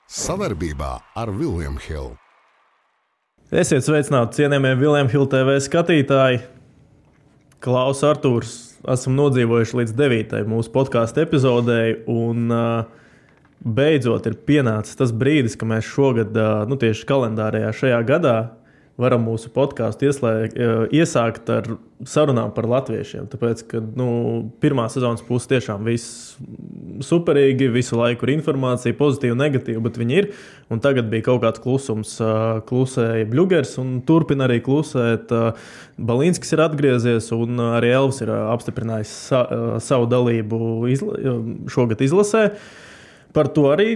Sadarbībā ar William Hill. Esiet sveicināti, cienījamie William Hill TV skatītāji. Klaus Artūrs, esam nodzīvojuši līdz 9. mūsu podkāstu epizodei, un beidzot ir pienācis tas brīdis, ka mēs šogad, tieši kalendārajā šajā gadā, varam mūsu podkāstu iesākt ar sarunām par latviešiem. Tāpēc, ka pirmā sezonas puse tiešām viss superīgi, visu laiku ir informācija, pozitīva, negatīva, bet viņi ir. Un tagad bija kaut kāds klusums, klusēja Bļugers un turpina arī klusēt. Balīnskis ir atgriezies un arī Elvis ir apstiprinājis savu dalību šogad izlasē. Par to arī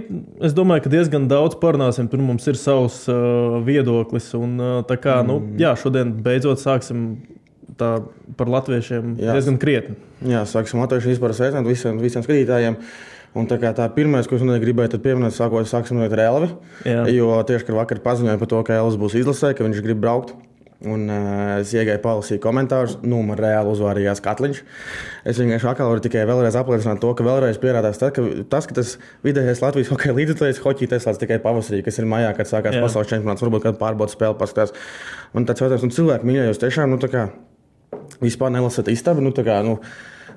es domāju, ka diezgan daudz parunāsim. Tur mums ir savs viedoklis. Un, šodien beidzot sāksim tā par latviešiem diezgan krietni. Jā, sāksim latviešiem vispār sveicināt visiem skatītājiem. Un tā pirmais, ko es gribēju pieminēt, sāksim ar Elvi. Jā. Jo tieši, kad vakar paziņoja par to, ka Elvis būs izlasē, ka viņš grib braukt. Un es iegāju palasīju komentārus, man reāli uzvārījās Katliņš. Es vienkārši atkal varu tikai vēlreiz apliecināt to, ka vēlreiz pierādās ka tas vidējais Latvijas hokeja līdzekļs hoķī teslāts tikai pavasarī, kas ir maijā, kad sākās pasaules čempionāts, varbūt kādu pārbaudas spēli paskatās. Un tāds jautājums, cilvēki mīļā, jūs tiešām, vispār nelasat istabu,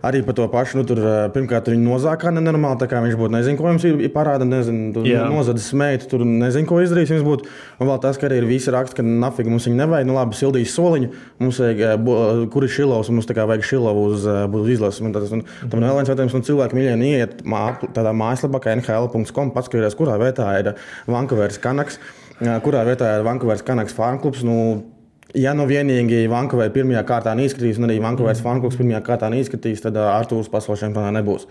arī par to pašu, tur pirmkārt viņi nozākā nenormāli, tā kā viņš būtu, nezinu, ko jums ir parāda, nozadis smeitu, tur nezinu, ko izdarīs jums būtu. Un vēl tas, ka arī ir visi raksti, ka nafīgi mums viņi nevajag, labi, sildīs soliņu, mums vajag, kur ir Šilovs, mums vajag Šilovu uz izlases. Tam vēl viens jautājums, cilvēki mīļieni ieiet tādā mājaslapā, kā nhl.com, paskatījās, kurā vietā ir Vancouveras Canucks, kurā vietā ir Vancouveras Canucks fanklubs. Ja vienīgi Vancouver pirmajā kārtā neizskatīs, un arī Vancouveras fanklubs pirmajā kārtā neizskatīs, tad Artūrs pasaules čempionā nebūs.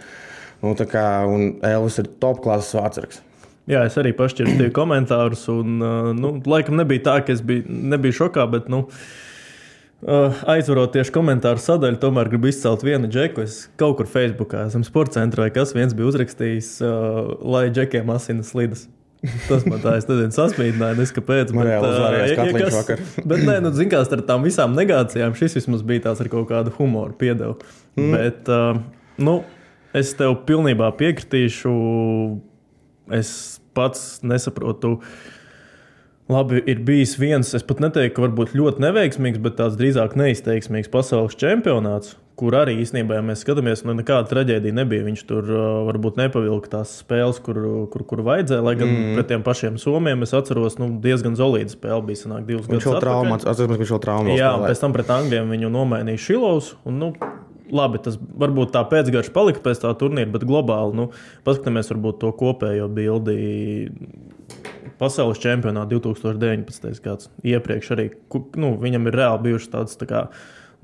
Un Elvis ir top klases vārdsargs. Jā, es arī pašķirstīju komentārus, un laikam nebija tā, ka es nebiju šokā, bet aizvarot tieši komentāru sadaļu, tomēr gribu izcelt vienu džeku. Es kaut kur Facebookā esam sporta centrā, kas viens bija uzrakstījis, lai džekiem asinas slidas. Tas man tā, es nezinu, sasmīdināja, kāpēc. Reāli uzvārījās Katliņš vakar. Bet zin kā, ar tām visām negācijām šis vismaz bija tās ar kaut kādu humoru piedevu. Bet, es tev pilnībā piekritīšu. Es pats nesaprotu. Labi, ir bijis viens, es pat neteiktu, ka varbūt ļoti neveiksmīgs, bet tāds drīzāk neizteiksmīgs pasaules čempionāts, kur arī īstenībā, ja mēs skatāmies, nekāda traģēdija nebija. Viņš tur varbūt nepavilka tās spēles, kur vajadzēja, lai gan pret tiem pašiem somiem es atceros, diezgan solīda spēle bija, sanāk 2 gadus atpakaļ. Viņš vēl traumās. Jā, pēc tam pret Angļiem viņu nomainīja Šilovs, un labi, tas varbūt tā pēcgarš palika pēc tā turnīra, bet globāli, paskatāmies varbūt to kopējo bildi pasaules čempionā 2019. gads. Iepriekš arī, viņam ir reāli bijušas tādas tā kā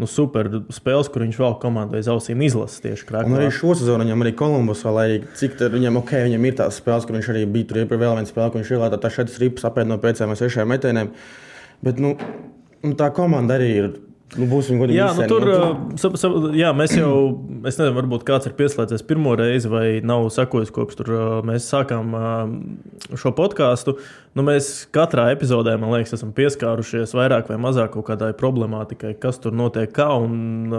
super spēles, kur viņš vēl komandai ausīm izlases tieši Krakovā. Un arī šo sezonu viņam arī Kolumbusā, lai cik viņam ir tās spēles, kur viņš arī bija tur iepriekš vēl viena spēle, kur viņš ielētā tā 4 ripas apēd no 5 vai 6 metieniem. Bet, tā komanda arī ir. Būsim godīgi visiem. Mēs jau, es nezinu, varbūt kāds ir pieslēdzies pirmo reizi vai nav sakojis, kopš tur mēs sākām šo podkāstu. Mēs katrā epizodē, man liekas, esam pieskārušies vairāk vai mazāk kaut kādai problemātikai, kas tur notiek kā. Un,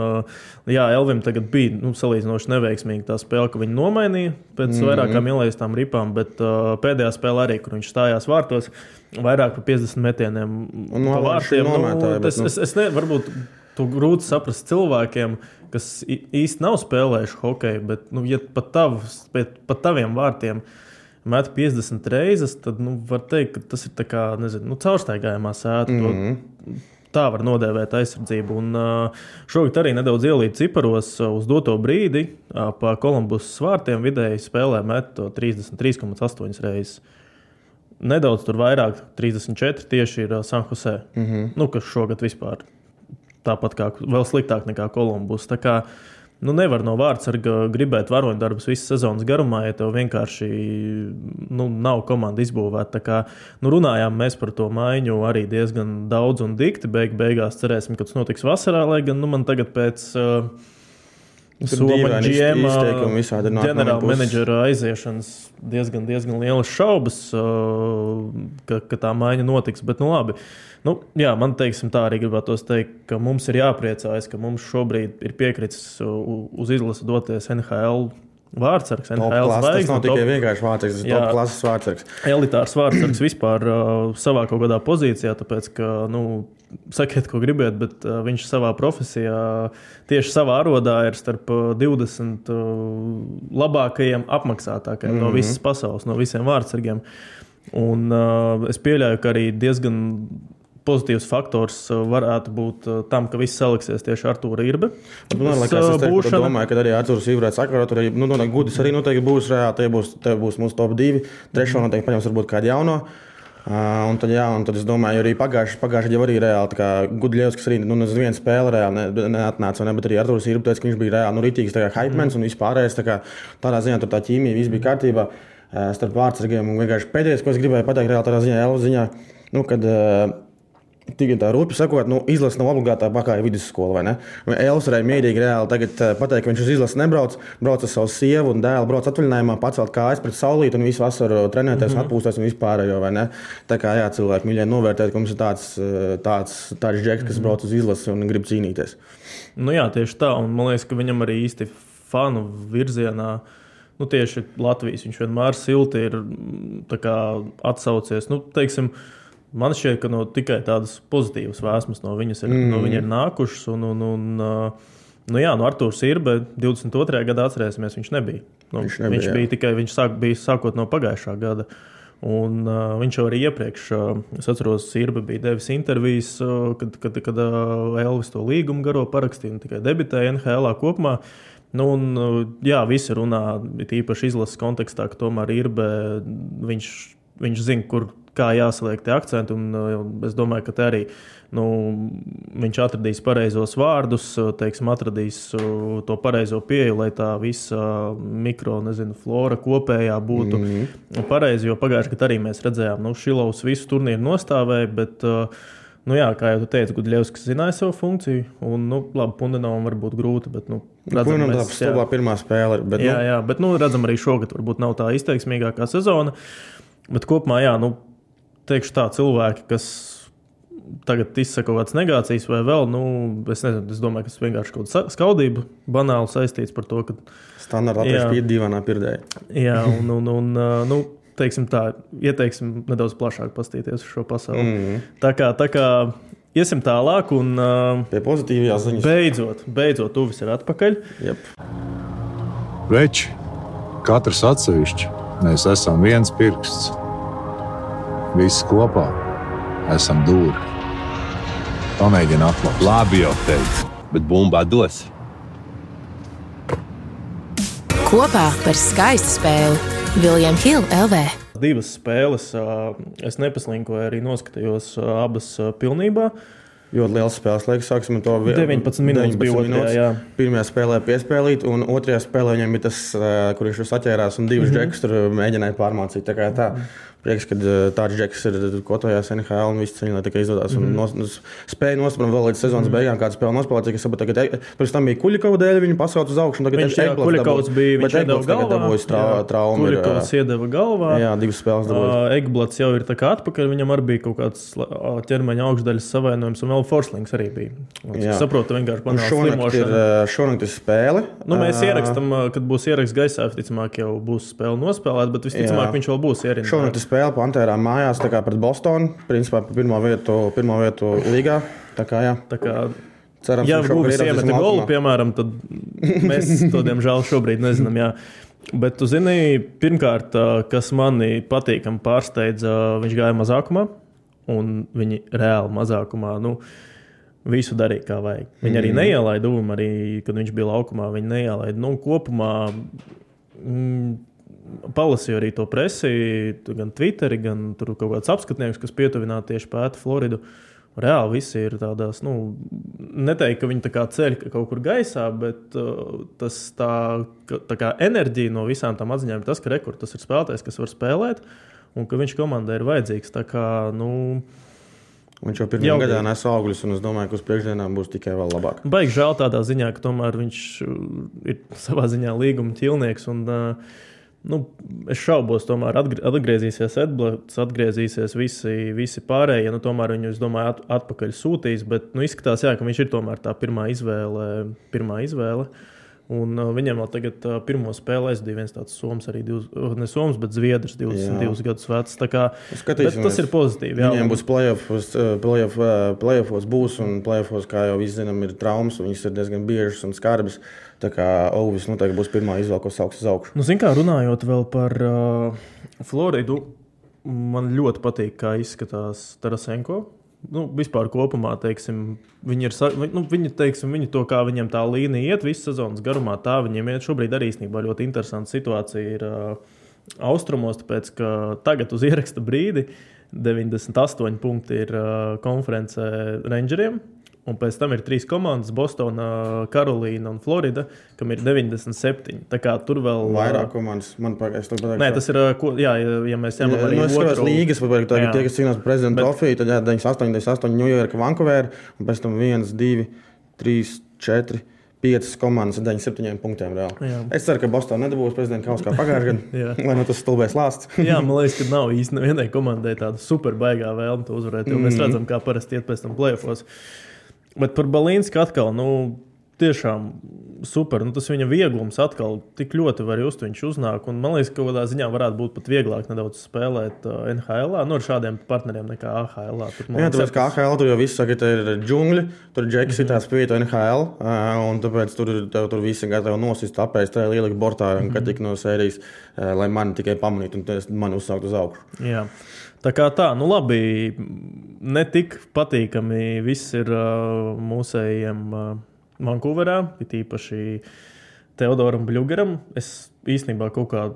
Elvim tagad bija salīdzinoši neveiksmīgi tā spēle, ka viņi nomainīja pēc vairākām ielaistām ripām, bet pēdējā spēle arī, kur viņš stājās vārtos, vairāk par 50 metieniem pa vārtiem. Varbūt tu grūti saprast cilvēkiem, kas īsti nav spēlējuši hokeju, bet, ja pat taviem vārtiem met 50 reizes, tad, var teikt, ka tas ir tā kā, caurstaigājumā sēta. Tā var nodēvēt aizsardzību. Un šogad arī nedaudz ielīt ciparos uz doto brīdi pa Kolumbusas vārtiem vidēji spēlē met 33,8 reizes. Nedaudz tur vairāk, 34 tieši ir San Jose, kas šogad vispār tāpat kā vēl sliktāk nekā Kolumbus. Tā kā nevar no vārdsarga gribēt varoņdarbus visas sezonas garumā, ja tev vienkārši nav komanda izbūvēta. Tā kā runājām mēs par to maiņu arī diezgan daudz un dikti. Beigās cerēsim, ka tas notiks vasarā, lai gan man tagad pēc Soma GM ģenerāla menedžera aiziešanas diezgan lielas šaubas, ka tā maiņa notiks, bet labi. Man tā arī gribētos teikt, ka mums ir jāpriecājas, ka mums šobrīd ir piekritis uz izlasi doties NHL vārdsargs, NHL zvaigznes. Tas nav tikai vienkārši vārdsargs, tas ir top klases vārdsargs. Elitārs vārdsargs vispār savā kaut kādā pozīcijā, tāpēc, ka, sakiet, ko gribiet, bet viņš savā profesijā, tieši savā arodā ir starp 20 labākajiem apmaksātākajiem no visas pasaules, no visiem vārdsargiem. Un es pieļauju, ka arī diezgan pozitīvs faktors varētu būt tam, ka viss saliksies tieši Artūra Irbe. Es domāju, ka arī Artūrs Irbe varētu sakārtot. Gudis arī noteikti būs reāli. Tie būs mūsu top 2. Trešo noteikti paņems varbūt kādu jauno. Un tad es domāju, arī pagājuši jau arī reāli. Gudļevs, kas arī uz vienu spēli reāli neatnāca, bet arī Artūrs Irbe teica, ka viņš bija reāli rītīgs hypemans un vispārējais. Tādā ziņā tur tā ķīmija viss bija kārtībā starp vārdsargiem. Un vienkārši pēdējais, ko es gribēju pateikt reāli tādā ziņā, Elvas ziņā, kad tikai tā rupi sakot, izlase nav obligātā pakāja vidusskola, vai ne? Elvis varēja mierīgi reāli tagad pateikt, ka viņš uz izlasi nebrauc, brauc ar savu sievu un dēlu, brauc atvaļinājumā, pacelt kājas pret saulīti un visu vasaru trenēties un atpūsties un vispārējo, vai ne? Tā kā cilvēki mīļai novērtēt, ka mums ir tāds džeks, kas brauc uz izlasi un grib cīnīties. Tieši tā, un man liekas, ka viņam arī īsti fanu virzienā, tieši Latvijas, viņš vienmēr silti ir atsaucies, teiksim, man šķiet, ka tikai tādas pozitīvas vēsmas no viņa ir nākušas. Artūrs Irbe 22. gadā atcerēsimies, viņš nebija. Viņš bija tikai bija sākot no pagājušā gada. Un viņš jau arī iepriekš, es atceros, Irbe bija devis intervijas, kad Elvis to līgumu garo parakstīja un tikai debitēja NHL kopumā. Visi runā, īpaši izlases kontekstā, ka tomēr Irbe, viņš zina, kā jāsaliek tie akcenti, un es domāju, ka te arī viņš atradīs pareizos vārdus, atradīs to pareizo pieeju, lai tā visa flora kopējā būtu pareizi, jo pagājuši, kad arī mēs redzējām, Šilovs visu turnīru nostāvēja, bet kā jau tu teici, Gudļevskis zināja savu funkciju, un, labi, Pundenovam var būt grūti, bet, redzam, mēs pirmā spēle. Bet, bet, redzam arī šogad varbūt nav tā izteiksmīgākā sezona, bet kopumā, teikšu tā, cilvēki, kas tagad izsaka kaut kādas negācijas vai vēl, es nezinu, es domāju, ka tas vienkārši kaut kāda skaudība banāli saistīts par to, ka standarta atveši dīvainā pirdēja. Teiksim tā, ieteiksim nedaudz plašāk pastīties uz šo pasauli. Tā kā iesim tālāk un pie pozitīvajās ziņas. Beidzot, Uvis ir atpakaļ. Jep. Veči, katrs atsevišķi, mēs esam viens pirksts. Visi kopā esam dūri. Pamēģini atklāt. Labi jau teicu, bet bumbā dos. Kopā par skaistu spēli. William Hill LV. 2 spēles, es nepaslinkoju, arī noskatījos abas pilnībā. Ļoti liels spēles laiks, sāksim ar to 19 minūtes bija otrajā. Pirmajā spēlē piespēlīt, un otrajā spēlē viņam bija tas, kur viņš saķērās un 2 džekus tur mēģināja pārmācīt. Tā kā tā. Prieks, ka tāds džeks ir kotojās NHL un viss ceņā tikai izdodas. Spēja nospēlēt vēl līdz sezonas beigām, kādu spēli nospēlēt, cik es saprotu, tagad pirms tam bija Kuļikova dēļ, viņu pasauc uz augšu. Viņš iedeva galvā. Traumu. Kuļikovs iedeva galvā. Jā, 2 spēles dabūjis. Egblats jau ir tā kā atpakaļ, viņam arī bija kaut kāds ķermeņa augšdaļas savainojums, un vēl Forslings arī bija. Es saprotu, vienkārši banāls slimošana. Šonakt ir spēle. Mēs ierakstam, kad būs ieraksts gaisā, visticamāk jau būs spēle nospēlēt, bet visticamāk viņš vēl būs ierindā. Spēle Pantērām mājās pret Bostonu, principā par pirmo vietu līgā. Tā kā cerams, ja Uvis iemeta golu, piemēram, tad mēs to diemžēl šobrīd nezinām. Jā. Bet tu zini, pirmkārt, kas mani patīkami pārsteidza, viņš gāja mazākumā, un viņi reāli mazākumā, visu darīja kā vajag. Viņi arī neielaida Uvumu, arī kad viņš bija laukumā, viņi neielaida. Kopumā palasīju arī to presi, gan Twitteri, gan tur kaut kāds apskatnieks, kas pietuvināti tieši pēta Floridu. Reāli visi ir tādās, neteikt, ka viņi tā kā ceļ kaut kur gaisā, bet tas tā kā enerģija no visām tām atziņām ir tas, ka tas ir spēlētājs, kas var spēlēt, un ka viņš komandai ir vajadzīgs. Tā kā, viņš jau pirmajā gadā nes augļus, un es domāju, ka uz priekšdienām būs tikai vēl labāk. Baigi žēl tādā ziņā, ka tomēr viņš ir savā ziņā līguma ķilnieks, un es šaubos, tomēr atgriezīsies Edblats, atgriezīsies visi pārējie, tomēr viņu, es domāju, atpakaļ sūtīs, bet izskatās, ka viņš ir tomēr tā pirmā izvēle. Un viņiem vēl tagad pirmo spēli aizvadīja viens tāds soms, arī ne soms, bet zviedrs, 22 gadus vecs. Tā kā, bet tas ir pozitīvi. Jā. Viņiem būs playoffos būs, un playoffos, kā jau visi zinām, ir traumas, un viņas ir diezgan biežas un skarbas. Tā kā Ovis noteikti būs pirmā izvēle, ko sauks uz augšu. Nu, zin kā, runājot vēl par Floridu, man ļoti patīk, kā izskatās Tarasenko. Nu, vispār kopumā, teiksim, viņi to, kā viņiem tā līnija iet visu sezonas garumā, tā viņiem iet šobrīd arī īstenībā ļoti interesanta situācija ir austrumos, tāpēc, ka tagad uz ieraksta brīdi 98 punkti ir konferencē Rangeriem, un pēc tam ir 3 komandas, Bostona, Karolīna un Florida, kam ir 97. Tā kā tur vēl... Vairāk komandas, man pagājuši to pateikšu. Nē, tas ir, ja mēs ņemam arī es skatās līgas, tagad tie, kas cīnās par prezidenta trofiju, tad 98, New York, Vancouver, un pēc tam 1, 2, 3, 4, 5 komandas ar 97 punktiem reāli. Jā. Es ceru, ka Bostona nedabūs prezidenta kausu kā pagājušajā gadā, lai no tas stulbais lāsts. Jā, man liekas, ka nav īsti nevienai komandai tāda super baigā vēlme to uzvarēt, jo mēs redzam, kā parasti iet pēc tam playoffos. Bet par Balīnsku atkal, tiešām super. Tas viņa vieglums atkal tik ļoti var just, viņš uznāk. Un man liekas, ka kādā ziņā varētu būt pat vieglāk nedaudz spēlēt NHL-ā, ar šādiem partneriem nekā AHL-ā. Jā, tāpēc kā AHL tur jau viss saka, ka ir džungļi, tur džeki sitās pievieta NHL, un tāpēc tur visi gatavi nosist, apēst, ielikt bortā, kad tik no sērijas, lai mani tikai pamanītu un mani uzsākt uz augšu. Jā. Tā kā tā, labi, ne tik patīkami viss ir mūsējiem Vancouverā, it īpaši Teodoram Bļugeram. Es īstenībā kaut kā,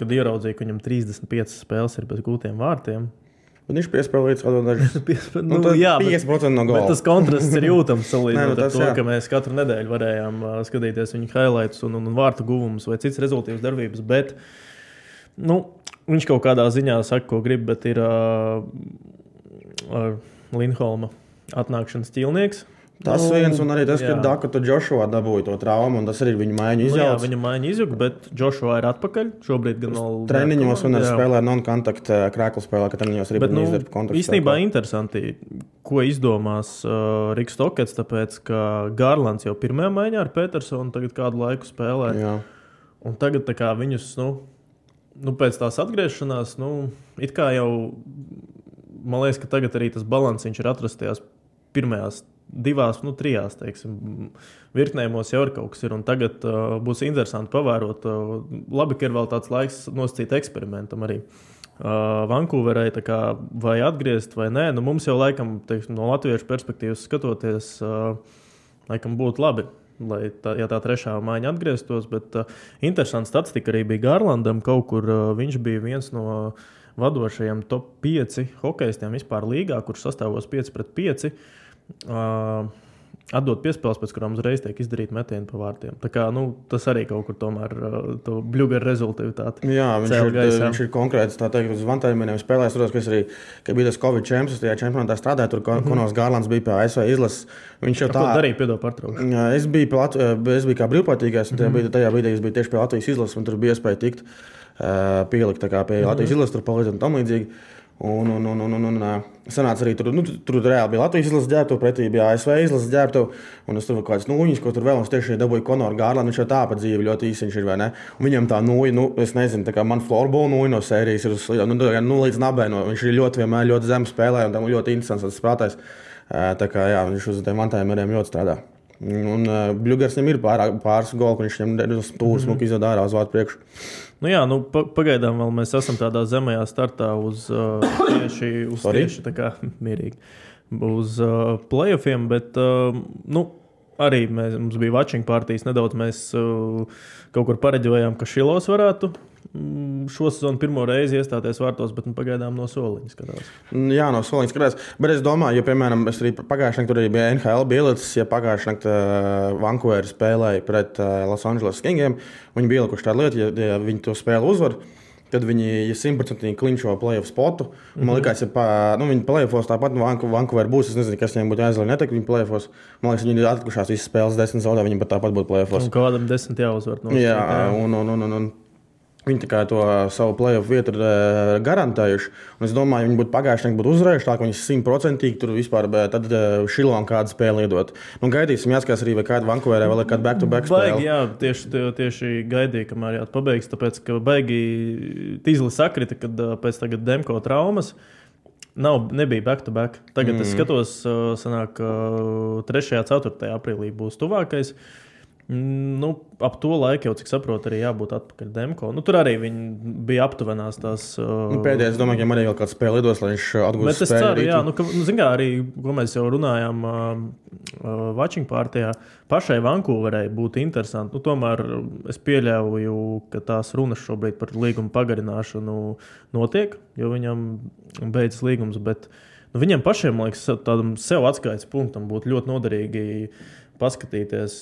kad ieraudzīju, ka viņam 35 spēles ir bez gūtiem vārtiem. Un viņš piespēlīts kaut dažas. 50% no gola. Bet tas kontrasts ir jūtams salīdzinot ar to, ka mēs katru nedēļu varējām skatīties viņu highlights un vārtu guvumus vai cits rezultīvas darbības, bet, viņš kaut kādā ziņā saka, ko grib, bet ir Lindholma atnākšanas ķīlnieks. Tas viens, un arī tas, ka Dakota Joshua dabūja to traumu, un tas arī viņu maiņu izjauc. Jā, viņu maiņu izjūg, bet Joshua ir atpakaļ. Šobrīd gan vēl treniņos un arī spēlē non-kontakt krēklu spēlē, ka treniņos arī izdarba kontaktu. Īstenībā interesanti, ko izdomās Riks Tokets, tāpēc, ka Garlands jau pirmajā maiņā ar Petersonu tagad kādu laiku spēlē. Jā. Un tagad tā kā viņus, pēc tās atgriešanās, it kā jau, man liekas, ka tagad arī tas balans viņš ir atrastajās pirmajās 2, 3, teiksim, virknējumos jau ir kaut kas ir, un tagad būs interesanti pavērot. Labi, ka ir vēl tāds laiks nosacīt eksperimentam arī Vancouverai, tā kā vai atgriezt vai nē. Mums jau laikam, teiksim, no latviešu perspektīvas skatoties, laikam būtu labi, lai tā trešā maiņa atgrieztos, bet interesanta statistika arī bija Garlandam, kaut kur viņš bija viens no vadošajiem top 5 hokejistiem vispār līgā, kurš sastāvos 5-5. Atdot piespēles, pēc kurām uzreiz tiek izdarīt metieni pa vārtiem. Tā kā, tas arī kaut kur tomēr to Bļugera rezultātāti. Jā, viņš ir konkrēts, tā teikt, uz vantājumiem spēlēs. Kad bija tas Covid čempions, tajā čempionātā strādāja, tur Konors Garlands bija pie ASV izlases. Viņš jau tā darīja, piedod pārtraukšu. Es biju kā brīvprātīgais, un tajā brīdī es biju tieši pie Latvijas izlases, un tur bija iespēja tikt pielikt tā kā pie Latvijas izlases, tur palīdzēt un tam līdzīgi. Un sanāca arī tur reāli bija Latvijas izlases ģērbtuve, pretī bija ASV izlases ģērbtuve, un es tur kaut kāds nūjiņas, ko tur vēl, un es tieši dabūju Konoru Garlandu, viņš jau tā pa dzīvi ļoti īsiņš ir, vai ne? Un viņam tā nūja, es nezinu, tā kā man florbola nūja no sērijas ir līdz nabē, viņš ir vienmēr ļoti zemu spēlē, un tam ļoti interesants tas spēlētājs. Tā kā, jā, viņš uz tiem vantājumiem ļoti strādā. Un Bļugers viņam ir pāris goli, viņš viņam stūri smuki izved ārā uz vārtu priekšu. Pagaidām vēl mēs esam tādā zemajā startā uz tieši tā kā mierīgi, uz playoffiem, bet arī mums bija watching partijas, nedaudz mēs kaut kur pareģojām, ka Šilovs varētu šo sezonu pirmo reizi iestāties vārtos, bet pagaidām no soliņa skatās. Jā, no soliņa skatās, bet es domāju, jo, piemēram, es arī pagājušajā naktī tur arī bija NHL bieletes, ja pagājušajā naktī Vancouver spēlēja pret Los Angeles Kingiem, viņi bija ielikuši tādu lietu, ja viņi to spēli uzvar, tad viņi 100% klinčo playoff spotu. Man liekas, viņi playoffos tāpat Vancouver būs. Es nezinu, kas viņiem būtu jāizlai neteikt viņi playoffos. Man liekas, viņi ir atlikušās visas spēles 10 zaudē, viņi pat tāpat būtu playoffos. Un kādam 10 jāuzvar. Jā, un Viņi tā kā to savu play-off vietu ir garantējuši. Un es domāju, viņi būtu pagājuši, būtu uzvarējuši, tā ka viņi 100% tur vispār tad Šilovam kādu spēli iedot. Nu, gaidīsim, jāskatās arī, vai kāda Vancouverē vēl ir kāda back-to-back spēle. Baigi, jā, tieši gaidīja, kamēr pabeigs, tāpēc, ka baigi Tīzli sakrita, kad pēc tagad Demko traumas nebija back-to-back. Tagad es skatos, sanāk, 3. 4. aprīlī būs tuvākais. Nu, ap to laiku jau, cik saprotu, arī jābūt atpakaļ Demko. Nu, tur arī viņi bija aptuvenās tās... Pēdējais, es domāju, ka arī vēl kāds spēle lidos, lai viņš atgūst spēli. Bet es ceru, jā, zin kā arī, ko mēs jau runājām watching partijā, pašai Vancouverai būtu interesanti. Nu, tomēr es pieļauju, ka tās runas šobrīd par līgumu pagarināšanu notiek, jo viņam beidzas līgums, bet viņiem pašiem, man liekas, tādam sev atskaites punktam būtu ļoti noderīgi paskatīties,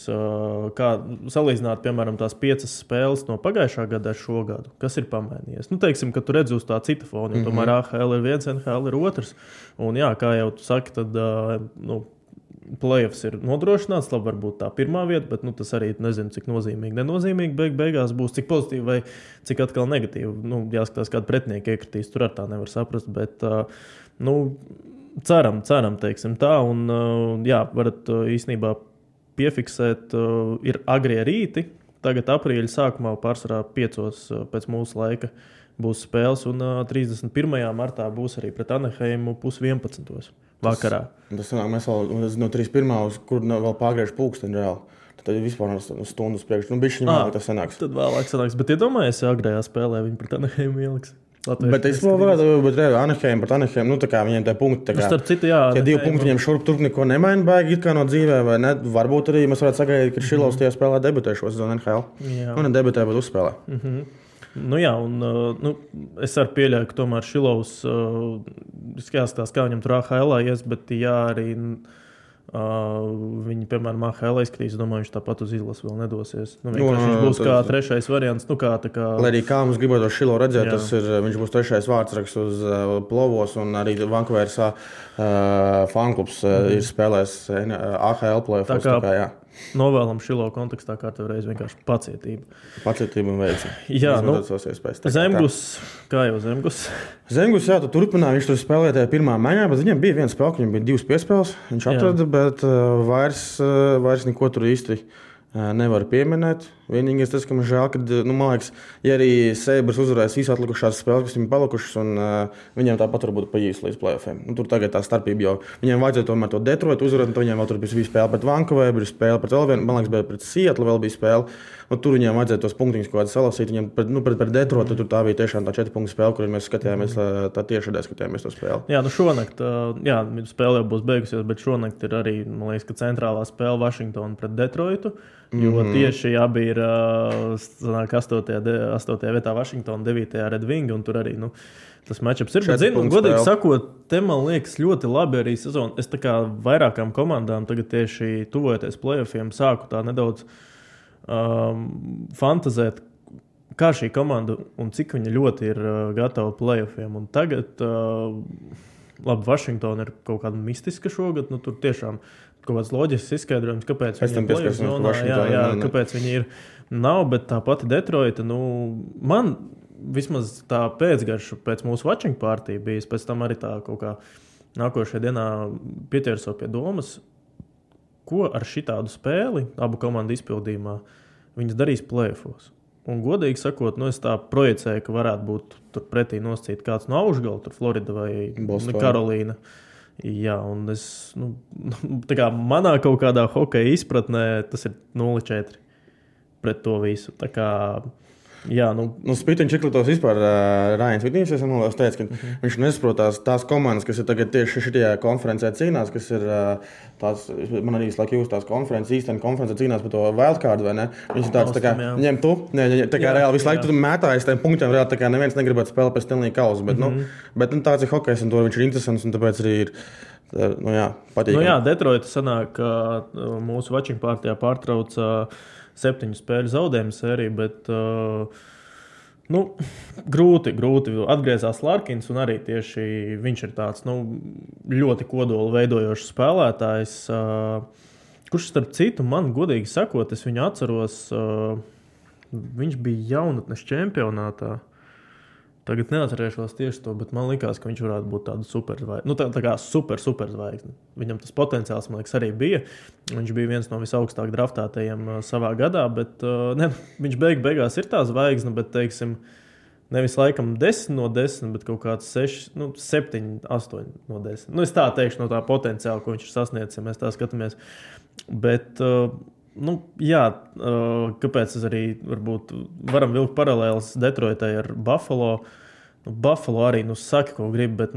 kā salīdzināt, piemēram, tās 5 spēles no pagājušā gada ar šo gadu. Kas ir pamainījies? Nu, teiksim, ka tu redzi uz tā cita fona, jo tomēr AHL ir viens, NHL ir otrs. Un jā, kā jau tu saki, tad playoffs ir nodrošināts, labi varbūt tā pirmā vieta, bet tas arī nezinu, cik nozīmīgi, nenozīmīgi beigās būs, cik pozitīvi vai cik atkal negatīvi. Jāskatās, kāda pretinieka iekritīs, tur ar tā nevar saprast, bet, ceram, teiksim tā, un jā, varat īstenībā piefiksēt, ir agrie rīti. Tagad aprīļa sākumā pārsvarā 5 pēc mūsu laika būs spēles, un 31. martā būs arī pret Anaheimu 10:30 vakarā. Tas sanāk, mēs vēl no 31. kur vēl pārgriež pulksteni reāli. Tad vispār stundu uz priekšu. Bišķiņi vēlāk tas sanāks. Tad vēlāk sanāks. Bet iedomājies, ja agrējā spēlē viņi pret Anaheimu ieliks. Bet es vēl varētu, bet Anaheim pret Anaheim, tā kā viņiem tie punkti, tā kā citu, jā, tie 2 punkti viņiem šurp turp neko nemaina baigi, it kā no dzīvē, vai ne? Varbūt arī mēs varētu sagaidīt, ka Šilovs tajā spēlē debutē šo sezonu NHL. Un debutē, bet uzspēlē. Nu jā, un es arī pieļauju, ka tomēr Šilovs jāskatās, kā viņam tur AHL ies, bet jā, arī viņi, piemēram, AHL izskatīs, domāju, viņš tāpat uz izlases vēl nedosies. Viņš būs kā 3. variants. Lai arī kā mums gribētu Šilo redzēt, viņš būs 3. vārdsraksts uz plovos, un arī Vancouveras fanklubs ir spēlējis AHL playoffs. Novēlam Šilo kontekstā kārtā reiz vienkārši pacietību. Pacietību un veiksmi. Jā, Zemgus, kā jau Zemgus? Zemgus, jā, tu turpināji, viņš tur spēlēja tajā pirmā maiņā, bet viņam bija viena spēle, viņam bija 2 piespēles, viņš atrada, bet vairs neko tur īsti nevar pieminēt. Vienīgais tas, ka man žēl, ka, man liekas, ja arī Sabres uzvarēs visu atlikušās spēles, kas viņam palikušas, un viņiem tāpat varbūt pa īsti līdz playoffiem. Tur tagad tā starpība jau. Viņiem vajadzēja tomēr to Detroit uzvarēt, un viņiem vēl tur bija spēle pret Vancouveru, bija spēle pret vēl vienu, man liekas, pret Seattle vēl bija spēle. Un tur viņiem vajadzēja tos punktiņus kaut kādā salasīt. Viņiem pret Detroit tur tā bija tiešām tā 4 punktu spēle, kur mēs skatījāmies, tā tiešādē skatījāmies to spēli. Jā, šonakt, spēle jau būs beigusies, bet šonakt ir arī, man liekas, ka centrālā spēle Vašingtona pret Detroitu. Jo tieši abi ir 8. vietā Vašingtona, 9. Red Wing, un tur arī tas matchups ir. Bet, godīgi sakot, te man liekas ļoti labi arī sezona. Es tā kā vairākām komandām tagad tieši tuvojoties playoffiem sāku tā nedaudz fantazēt, kā šī komanda un cik viņa ļoti ir gatava playoffiem. Un tagad, labi, Vašingtona ir kaut kāda mistiska šogad, tur tiešām kaut kāds loģisks izskaidrojums, kāpēc viņi ir playoff zonā, kāpēc viņi ir nav, bet tā pati Detroita, man vismaz tā pēcgarša pēc mūsu watching partija bija, pēc tam arī tā kaut kā nākošajā dienā pieķerso pie domas, ko ar šitādu spēli abu komandu izpildījumā viņas darīs playoffos. Un godīgi sakot, es tā projicēju, ka varētu būt tur pretī nosacīt kāds no Aušgala, tur Florida vai Karolīna. Jā, un es, tā kā manā kaut kādā hokeja izpratnē tas ir 0-4 pret to visu. Tā kā, jā, Spītiņš Čiklitovs vispār Rājans Vitnīvs, es teicu, ka viņš nesaprotās tās komandas, kas ir tagad tieši šitajā konferencē cīnās, kas ir tās, man arī visu laiku jūs tās konferences, īstenībā konferencē cīnās par to wildcard, vai ne? Viņš ir tāds, tā kā, ņem tu, tā kā reāli visu laiku tu mētājies tiem punktiem, reāli tā kā neviens negribētu spēlēt pēc Stanley Kausa, bet tāds ir hokejs, un to viņš ir interesants, un tāpēc arī ir, patīkami. Detroita sanāk, mūsu watching partijā pārtrauca 7 spēļu zaudējumu sēriju, bet grūti. Atgriezās Larkins, un arī tieši viņš ir tāds ļoti kodolu veidojošs spēlētājs, kurš starp citu man godīgi sakot, es viņu atceros viņš bija jaunatnes čempionātā. Tagad neatcerēšos tieši to, bet man likās, ka viņš varētu būt tādu superzvaigzni. Nu, tā kā super zvaigzni. Viņam tas potenciāls, man liekas, arī bija. Viņš bija viens no visaugstāk draftētajiem savā gadā, bet viņš beigās ir tā zvaigzne, bet, teiksim, nevis laikam 10 no 10, bet kaut kāds 7, 8 no 10. Nu, es tā teikšu no tā potenciāla, ko viņš ir sasniedzis, ja mēs tā skatāmies. Bet, kāpēc es arī varbūt varam vilkt paralēles Detroitai ar Buffalo. Buffalo arī, saka, ko grib, bet,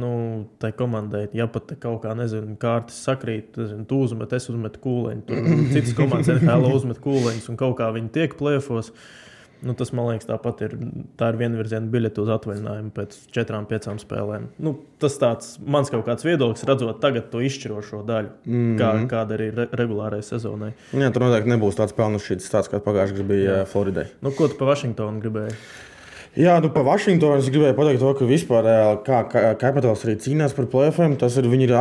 tai komandai, ja pat kaut kā, kārtis sakrīt, tu uzmet, es uzmetu kūleņu, tur citas komandas NHL uzmet kūleņus un kaut kā viņi tiek plēfos. Tas, man liekas, tā ir vienvirziena biļete uz atvaļinājumu pēc 4-5 spēlēm. Tas tāds mans kaut kāds viedoklis, redzot tagad to izšķirošo daļu, kāda arī regulārai sezonai. Jā, tur noteikti nebūs tāds pelnušķīts tāds, kā pagājušajā gadā bija Floridai. Ko tu pa Vašingtonu gribēji? Jā, pa Vašingtonu es gribēju pateikt to, ka vispār kā Capitals arī cīnās par play-offiem, tas ir, viņi ir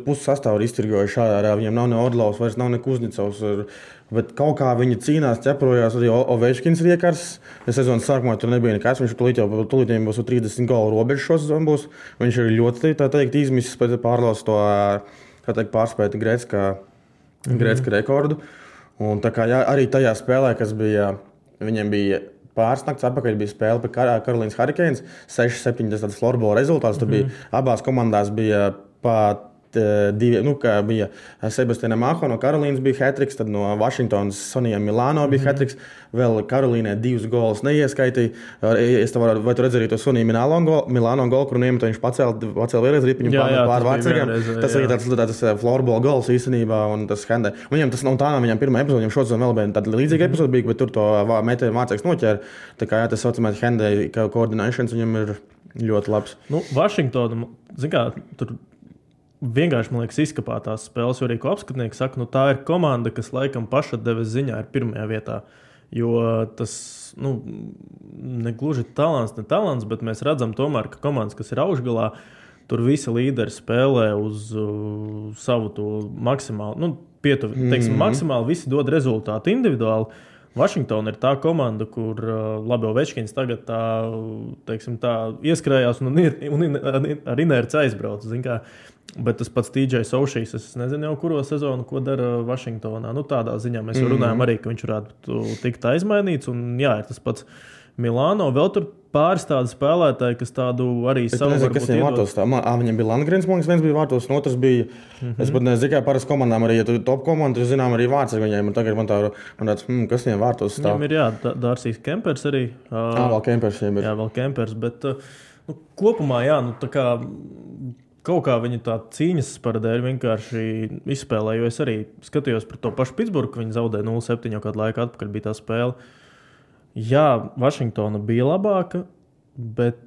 pusi sastāvu iztirgojuši šādā, viņiem nav ne Orlovs, vairs nav ne Kuznecovs, bet kaut kā viņi cīnās, ķeprojās arī Ovečkins riekars. Sezonas sākumā tur nebija nekas, viņš tulītiem būs 30 golu robežu šo sezonu būs. Viņš ir ļoti, tā teikt, izmisis pēc pārlaus to, tā teikt, pārspēt Gretzka rekordu. Un tā kā arī tajā spēlē, kas bija, viņiem bija pārsnakts atpakaļ, bija spēle pret Karolīnas Hurricanes, 6-7 tas florbola rezultāts. Tur bija, abās komandās bija pat divi, bija Sebastianam Aho no Karolīnas bija hat-tricks, tad no Vašingtonas Sonijam Milāno bija hat-tricks, vēl Karolīnai 2 golus neieskaitīja. Vai tu redzēji to Soniju Milāno golu, kuru iemet, viņš pacēla vēlreiz ripiņu pār vārdsargiem. Tas arī tāds florbola gols īstenībā, un tas handē. Viņam tas nav tā, viņam pirmā epizode, viņam šodien vēl bija tāda līdzīga epizode bija, bet tur to metēju vārdsargs noķēra. Tā kā tas saucamais handē coordinations viņam ir ļoti labs. Vašingtona, tur vienkārši, man liekas, izkapā tās spēles, jo arī ko apskatnieki saka, tā ir komanda, kas laikam pašatdeves ziņā ir pirmajā vietā. Jo tas, ne gluži talants, bet mēs redzam tomēr, ka komandas, kas ir augšgalā, tur visi līderi spēlē uz savu to maksimāli, maksimāli visi dod rezultātu individuāli. Vašingtona ir tā komanda, kur labi Ovečkins tagad tā ieskrējās un ar inerci aizbrauc. Bet tas pats TJ Oshijs, es nezinu jau kuro sezonu, ko dara Vašingtonā. Tādā ziņā mēs jau runājam arī, ka viņš varētu tikt aizmainīts. Un jā, ir tas pats Milāno. Vēl tur pāris tādi spēlētāji, kas tādu arī savu varbūt iedod. Viņam bija Landgrens, man liekas, viens bija vārtos, un otrs bija, es pat nezinu, kā parasti komandām arī, ja tu top komandu, tu zinām arī vārds ar viņiem, un tagad man tāds, kas viņiem vārtos stāv? Viņam ir, jā, Dārsīs Kempers arī. Vēl Kempers viņiem ir. Jā, vēl Kempers, bet kopumā, jā, tā kā kaut kā viņa tā cīņas paradēļ vienkārši izspēlē, jo es arī skatījos par to pašu Pitsburgu, ka viņi zaudēja 0-7 jau kādu laiku atpakaļ bija tā spēle. Jā, Vašingtona bija labāka, bet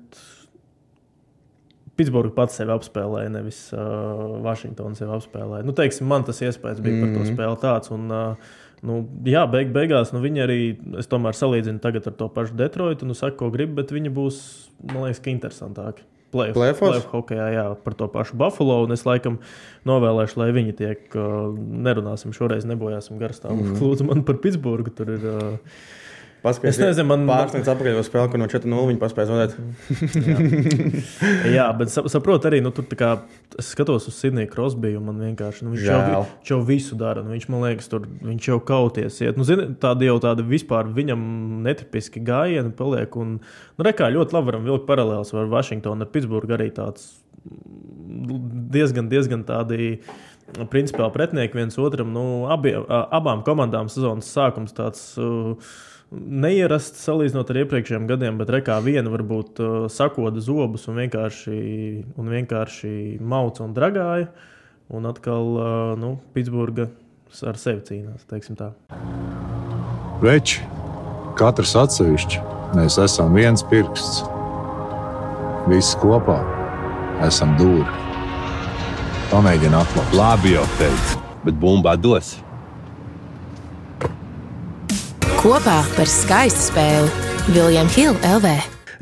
Pitsburga pats sevi apspēlēja, nevis Vašingtona sevi apspēlēja. Teiksim, man tas iespējas bija par to spēli tāds. Un, jā, beigās viņi arī, es tomēr salīdzinu tagad ar to pašu Detroitu, saku, ko gribu, bet viņi būs, man liekas, ka interesantāki. Playoff hokejā, jā, par to pašu Buffalo, un es laikam novēlēšu, lai viņi tiek, nerunāsim šoreiz, nebojāsim garstāvu. Lūdzu man par Pitsburgu, tur ir... Es nezinu, man pārsniedz atpakaļ spēli, ka no 4-0 viņi paspēja zaudēt. Jā, bet saprotu arī, tur tā kā es skatos uz Sidneju Crosbiju, un man vienkārši, viņš jau visu dara, viņš, man liekas, tur viņš jau kauties iet. Tādi vispār viņam netipiski gājieni paliek, un, rekā, ļoti labi varam vilkt paralēls ar Vašingtonu, ar Pitsburgu arī tāds diezgan tādi principāli pretinieki viens otram, abām komandām sezonas sākums tāds... Neierasts salīdzinot ar iepriekšējiem gadiem, bet rekā viena varbūt sakoda zobus un vienkārši mauca un dragāja. Un atkal Pitsburga ar sevi cīnās, teiksim tā. Veči, katrs atsevišķi, mēs esam viens pirksts. Visi kopā esam dūri. Pamēģini atklāt. Labi jau teicu, bet bumbā dos. Kopā par skaistu spēli William Hill LV.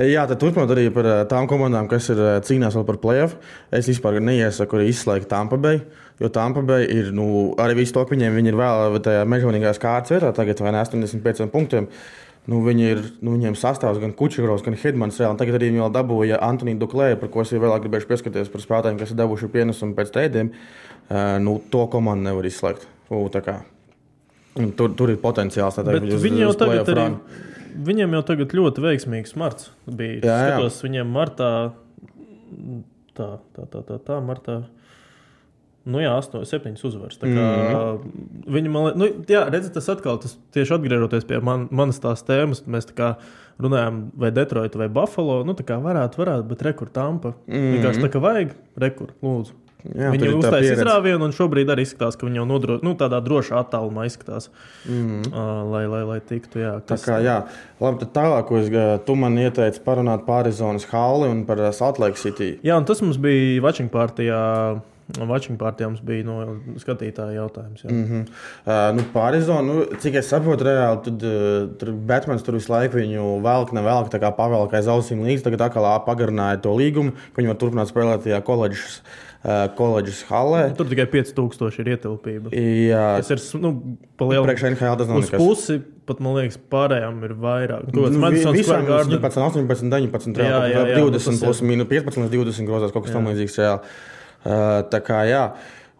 Jā, tad turpinot arī par tām komandām, kas ir cīnās vēl par play-off. Es vispār neiesaku arī izslēgt Tampa Bay, jo Tampa Bay ir, arī visu to, ka viņi ir vēl tajā mežonīgās kārtas vietā, tagad vai ne 85 punktiem. viņiem sastāvs gan Kučerovs, gan Hedmans reāli. Tagad arī viņi vēl dabūja Antoniju Duklēju, par ko es vēl gribēšu pieskaties par spēlētājiem, kas ir devuši pienesumu pēc treidiem. To komandu nevar izslēgt. Tur ir potenciāls. Viņiem jau tagad ļoti veiksmīgs marts bija. Skatos, viņiem martā, martā. 7 uzvaras. Tā kā viņi redzat, tas atkal, tieši atgriežoties pie manas tās tēmas, mēs tā kā runājam vai Detroit vai Buffalo, tā kā varētu, bet rekur Tampa. Vienkārši tā kā vajag, rekur, lūdzu. Jā, viņi uztais izrāvienu un šobrīd arī izskatās, ka viņi jau tādā drošā attālumā izskatās, lai tiktu, jā. Tā kā, jā. Labi, tad tālāk, tu man ieteici parunāt par Arizonas Halli un par Salt Lake City. Jā, un tas mums bija watching partijā mums bija skatītāja jautājums. Par Arizonu, cik es saprotu reāli, tad Batmans tur visu laiku viņu velk, tā kā pavelk aiz ausīm līdz, tagad atkal pagarināja to līgumu, ka viņi var turpināt spēlēt tajā koledžas hallē. Tur tikai 5000 ir ietilpība. Jā. Tas ir, pa lielu priekš NHL tas nav uz nekas. Pusi, pat man liekas, pārējām ir vairāk. Visām 18, 19, 20 plus mīnu 15 līdz 20 grozās, kaut kas tam līdzīgs reāli. Tā kā, jā.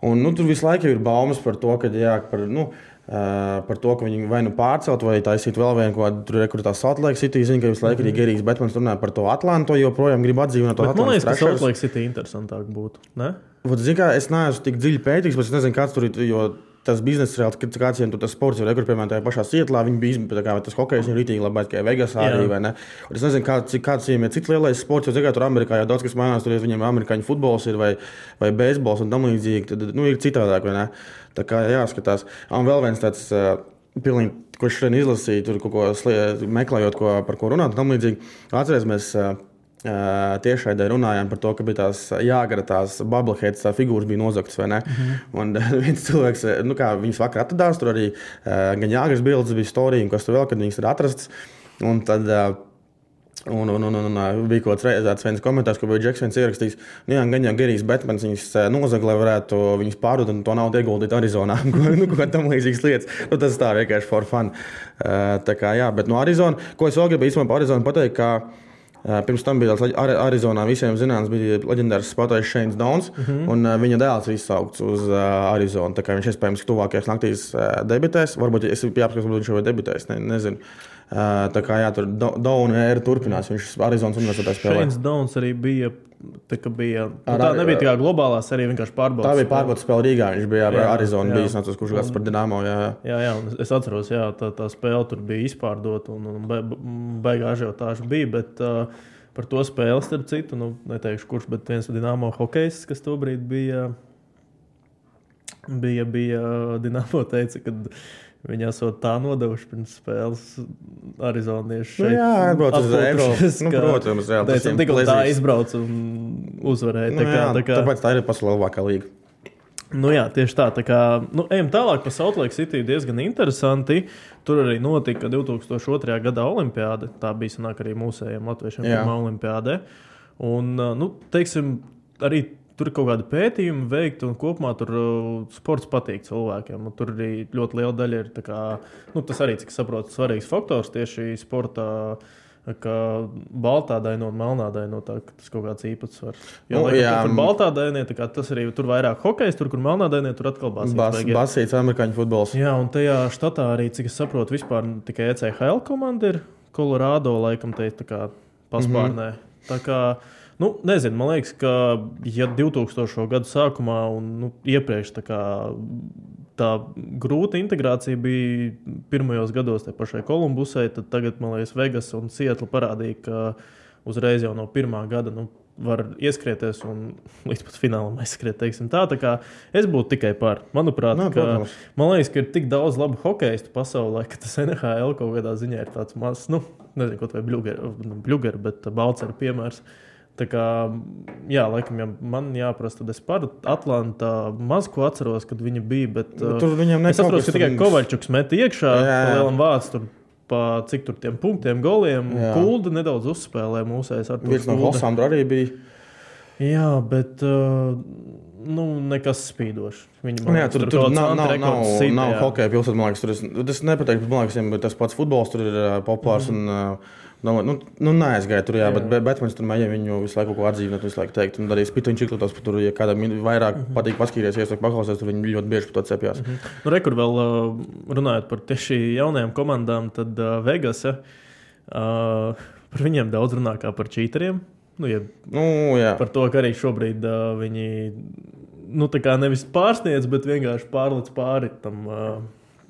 Un, tur visu laiku ir baumas par to, ka, par to, ka viņi vai pārcelt, vai taisīt vēl vienu, kur tā Salt Lake City. Zinu, ka visu laiku arī Gerijs Batmans runāja par to Atlantu, joprojām grib atdzīvināt to Atlantu. Man liekas, ka Salt Lake City interesantāk būtu, ne? Zinu, kā es neesmu tik dziļi pētīgs, bet es nezinu, kāds tur ir, jo tas bizness reāli, kāds viņiem tur tas sports ir, kur, piemēram, tajā pašā Sietlā, viņi bija, tas hokejs ir rītīgi labāk, kā Vegasā arī, vai ne? Un es nezinu, kāds viņiem ir cits lielais sports, jo, tur Amerikā jau daudz, kas mainās, tur viņiem amerikāņu futbols ir, vai beisbols un tam līdzīgi, tad, ir citādāk, vai ne? Tā kā jāskatās. Un vēl viens tāds, pilnīgi, ko šodien izlasīju, tur kaut ko meklējot, par ko runāt, tam līdzīgi. Atceries, mēs tiešraidē runājām par to, ka bija tās Jāgara, tās bubbleheads figūras bija nozagtas, vai ne? Un viens cilvēks, viņas vakar atradās, tur arī gan Jāgaras bildes bija storija, un kas tur vēl, kad viņas ir atrastas. Un tad bija kaut kāds viens komentārs, ko bija Džeks viens ierakstījis. Gan jau Gerijs Batmans viņas nozaga, lai varētu viņas pārdot un to naudu ieguldīt Arizonā. Kaut tam līdzīgas lietas. Tas tā vienkārši for fun. Tā kā, jā, bet no Arizona, ko es vēl gribēju īstenībā par Arizonu pateikt, ka pirms tam bija Arizonā visiem zināms, bija leģendārs spēlētājs Shanes Downs, un viņa dēls ir izsaukts uz Arizonu. Tā kā viņš iespējams tuvākajās naktīs debitēs, varbūt es jāapskatās, varbūt viņš jau debitēs, nezinu. Tā kā jā, tur Downa ēra turpinās, viņš Arizonas universitātē spēlē. Shanes Downs arī bija, tā nebija tā kā globālā serija, vienkārši pārbaudas. Tā bija pārbaudas spēle Rīgā, viņš bija ar Arizonu bijis, nācos, kurš gads par Dinamo, Jā, un es atceros, tā spēle tur bija izpārdota un baigā ažiotāža bija, bet par to spēli, starp citu, neteikšu kurš, bet viens Dinamo hokejs, kas tobrīd bija Dinamo teica, kad viņi esot tā nodevuši pirms spēles arizonieši šeit. Atbrauc uz Eiropas. Protams, jā. Tikko tā izbrauc un uzvarēja. Tāpēc tā ir pasaulē labākā līga. Tieši tā. Tā kā, ejam tālāk par Salt Lake City, diezgan interesanti. Tur arī notika 2002. Gada olimpiāde. Tā bija sanāk arī mūsējiem latviešiem pirmā olimpiāde. Un, teiksim, arī tur ir kaut kādi pētījumi veikti, un kopumā tur sports patīk cilvēkiem. Tur arī ļoti liela daļa ir, tas arī, cik saprotu, svarīgs faktors tieši sportā, ka baltā daino un melnā daino, tas kaut kāds īpatsvars. Tur baltā dainie, tas arī tur vairāk hokejs, tur, kur melnā dainie, tur atkal basīts. Basīts amerikāņu futbols. Jā, un tajā štatā arī, cik es saprotu, vispār tikai ECHL komanda ir, Colorado laikam te paspārnē. Tā kā nezinu, man liekas, ka ja 2000. Gadu sākumā un iepriekš tā grūta integrācija bija pirmajos gados te pašai Kolumbusai, tad tagad, man liekas, Vegas un Sietla parādīja, ka uzreiz jau no pirmā gada var ieskrieties un līdz pat finālam aizskriet, teiksim tā. Tā kā es būtu tikai par. Manuprāt, man liekas, ka ir tik daudz labu hokeistu pasaulē, ka tas NHL kaut kādā ziņā ir tāds mazs, nezinu, kaut vai bļuger, bet Balcera piemērs. Tā kā, laikam, ja man jāprasa, tad es par Atlantā maz ko atceros, kad viņa bija, bet es atceros, ka tikai Kovaļčuks meta iekšā, pa lielam vārds tur, cik tur tiem punktiem, goliem, Kulda nedaudz uzspēlē mūsējais ar to. Viens no Hosandra arī bija. Jā, bet nekas spīdošs. Tur nav hokeja pilsēta, man liekas. Tas nepateiktu, man liekas, bet tas pats futbols tur ir populārs. Neaizgāja tur, jā, bet Batmans tur mēģina viņu visu laiku ko atdzīvināt, visu laiku teikt. Un arī Spitviņš Iklutos, tur, ja kādam vairāk patīk paskatīties, iesaka paklausēs, tur viņi ļoti bieži par to cepjās. Rekur vēl runājot par tieši jaunajām komandām, tad Vegas, par viņiem daudz runā kā par čīteriem. Par to, ka arī šobrīd viņi tā kā nevis pārsniedz, bet vienkārši pārlic pāri tam.